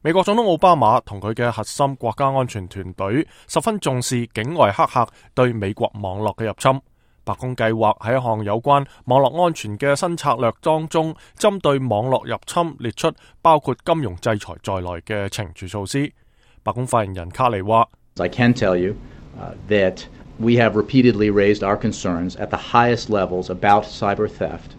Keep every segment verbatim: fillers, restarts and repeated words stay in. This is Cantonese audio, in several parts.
美國總統奧巴馬同佢嘅核心國家安全團隊十分重視境外黑客對美國網絡嘅入侵。白宮計劃喺一項有關網絡安全嘅新策略當中，針對網絡入侵列出包括金融制裁在內嘅懲處措施。白宮發言人卡尼話I can tell you, uh, that we have repeatedly raised our concerns at the highest levels about cyber theft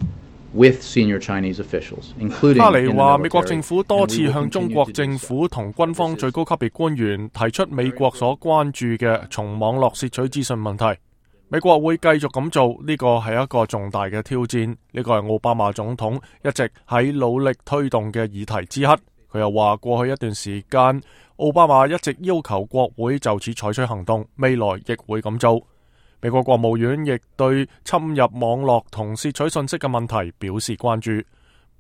with senior Chinese officials, including 卡尼話美國政府多次向中國政府同軍方最高級別官員提出美國所關注嘅從網絡竊取資訊問題。美國會繼續咁做，呢個係一個重大嘅挑戰，呢個係奧巴馬總統一直喺努力推動嘅議題之一。佢又話過去一段時間，奧巴馬一直要求國會就此採取行動，未來亦會咁做。美國國務院亦對侵入網絡同竊取信息嘅問題表示關注。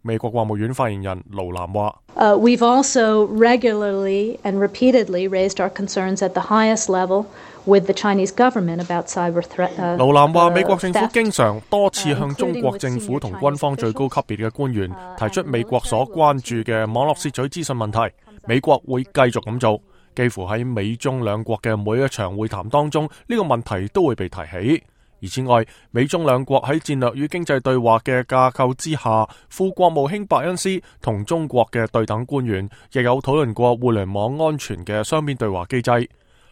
美國國務院發言人盧蘭話Uh, we've also regularly and repeatedly raised our concerns at the highest level with the Chinese government about cyber threat. 盧蘭話美國政府經常多次向中國政府同軍方最高級別嘅官員提出美國所關注嘅網絡竊取資訊問題，美國會繼續咁做。幾乎喺美中兩國嘅每一場會談當中，呢個問題都會被提起。而此外，美中兩國喺戰略與經濟對話嘅架構之下，副國務卿伯恩斯同中國嘅對等官員亦有討論過互聯網安全嘅雙邊對話機制。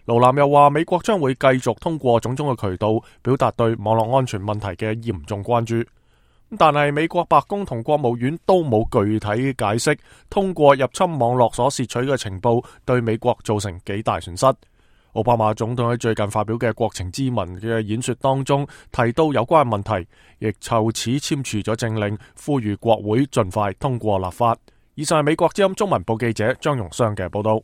盧南又話，美國將會繼續通過種種嘅渠道表達對網絡安全問題嘅嚴重關注。但係美國白宮同國務院都冇具體解釋通過入侵網絡所竊取嘅情報對美國造成幾大損失。奧巴馬總統喺最近發表嘅國情咨文嘅演說當中提到有關問題，亦就此簽署咗政令，呼籲國會盡快通過立法。以上係美國之音中文部記者張榮湘嘅報道。